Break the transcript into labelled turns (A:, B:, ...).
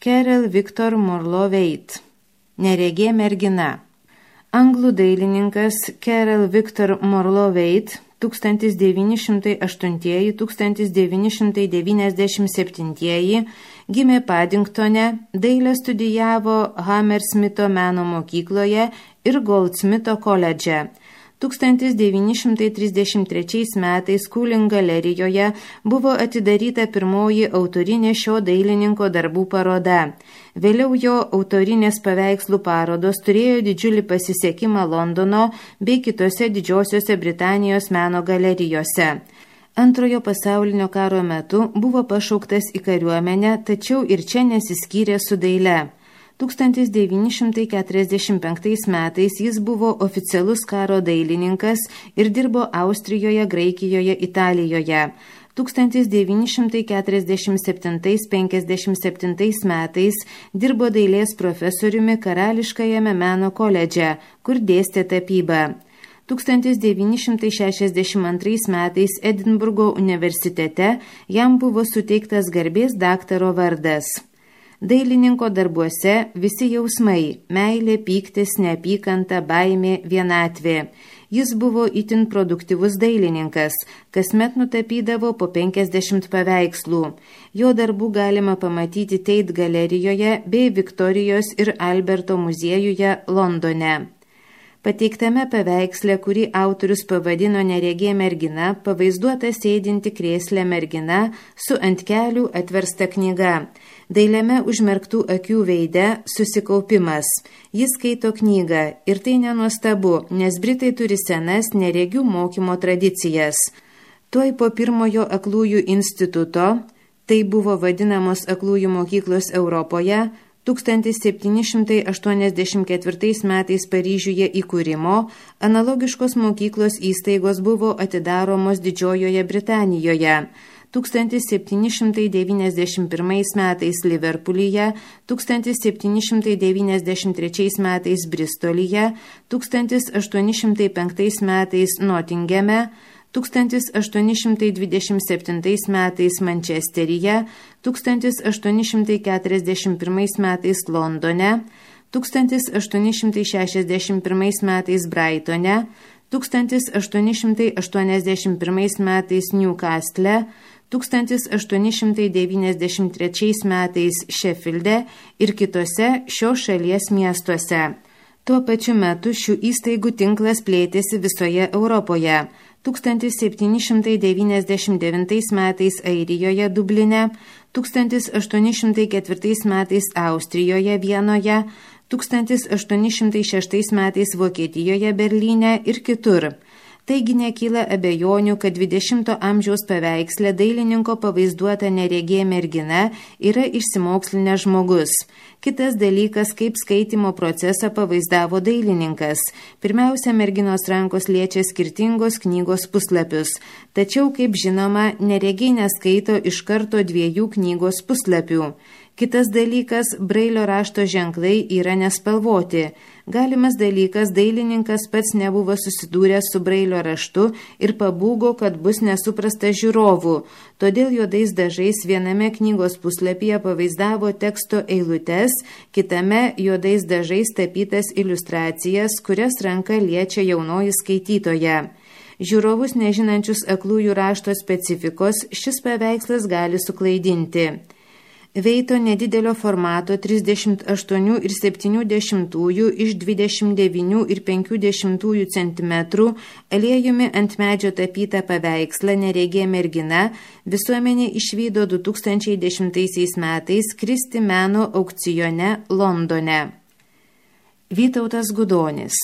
A: Carol Victor Morley-Waite. Neregė mergina. Anglų dailininkas Carol Victor Morley-Waite 1908–1997 gimė Paddingtone, dailę studijavo Hammersmito meno mokykloje ir Goldsmito koledže. 1933 metais Cooling galerijoje buvo atidaryta pirmoji autorinė šio dailininko darbų paroda. Vėliau jo autorinės paveikslų parodos turėjo didžiulį pasisekimą Londono bei kitose Didžiosiose Britanijos meno galerijose. Antrojo pasaulinio karo metu buvo pašauktas į kariuomenę, tačiau ir čia nesiskyrė su daile. 1945 metais jis buvo oficialus karo dailininkas ir dirbo Austrijoje, Graikijoje, Italijoje. 1947–57 metais dirbo dailės profesoriumi Karališkajame meno koledže, kur dėstė tapybą. 1962 metais Edinburgo universitete jam buvo suteiktas garbės daktaro vardas. Dailininko darbuose visi jausmai – meilė, pyktis, neapykanta, baimė, vienatvė. Jis buvo itin produktyvus dailininkas, kasmet nutapydavo po 50 paveikslų. Jo darbų galima pamatyti Tate galerijoje bei Viktorijos ir Alberto muziejuje Londone. Pateiktame paveiksle, kurį autorius pavadino Neregė mergina, pavaizduota sėdinti krėsle mergina su ant kelių atversta knyga. Dailiame užmerktų akių veide susikaupimas. Jis skaito knygą ir tai nenuostabu, nes Britai turi senas neregių mokymo tradicijas. Tuoj po pirmojo aklųjų instituto, tai buvo vadinamos aklųjų mokyklos Europoje, 1784 metais Paryžiuje įkūrimo, analogiškos mokyklos įstaigos buvo atidaromos Didžiojoje Britanijoje. 1791 metais Liverpoolyje, 1793 metais Bristolyje, 1805 metais Nottinghame, 1827 metais Mančesteryje, 1841 metais Londone, 1861 metais Brightone, 1881 metais Newcastle, 1893 metais Sheffielde ir kitose šios šalies miestuose. Tuo pačiu metu šių įstaigų tinklas plėtėsi visoje Europoje. 1799 metais Airijoje Dubline, 1804 metais Austrijoje Vienoje, 1806 metais Vokietijoje Berlyne ir kitur. Taigi nekyla abejonių, kad 20 amžiaus paveiksle dailininko pavaizduota neregė mergina yra išsimokslinęs žmogus. Kitas dalykas, kaip skaitymo procesą pavaizdavo dailininkas. Pirmiausia, merginos rankos liečia skirtingos knygos puslapius. Tačiau, kaip žinoma, neregiai neskaito iš karto 2 knygos puslapių. Kitas dalykas, Brailio rašto ženklai yra nespalvoti. Galimas dalykas, dailininkas pats nebuvo susidūręs su Brailio raštu ir pabūgo, kad bus nesuprasta žiūrovų. Todėl juodais dažais viename knygos puslapyje pavaizdavo teksto eilutes, kitame juodais dažais tapytas iliustracijas, kurias ranka liečia jaunoji skaitytoja. Žiūrovus nežinančius aklųjų rašto specifikos šis paveikslas gali suklaidinti. Veito nedidelio formato 38,7 iš 29,5 cm aliejumi ant medžio tapytą paveikslą Neregė mergina visuomenė išvydo 2010 metais Kristi meno aukcione Londone. Vytautas Gudonis.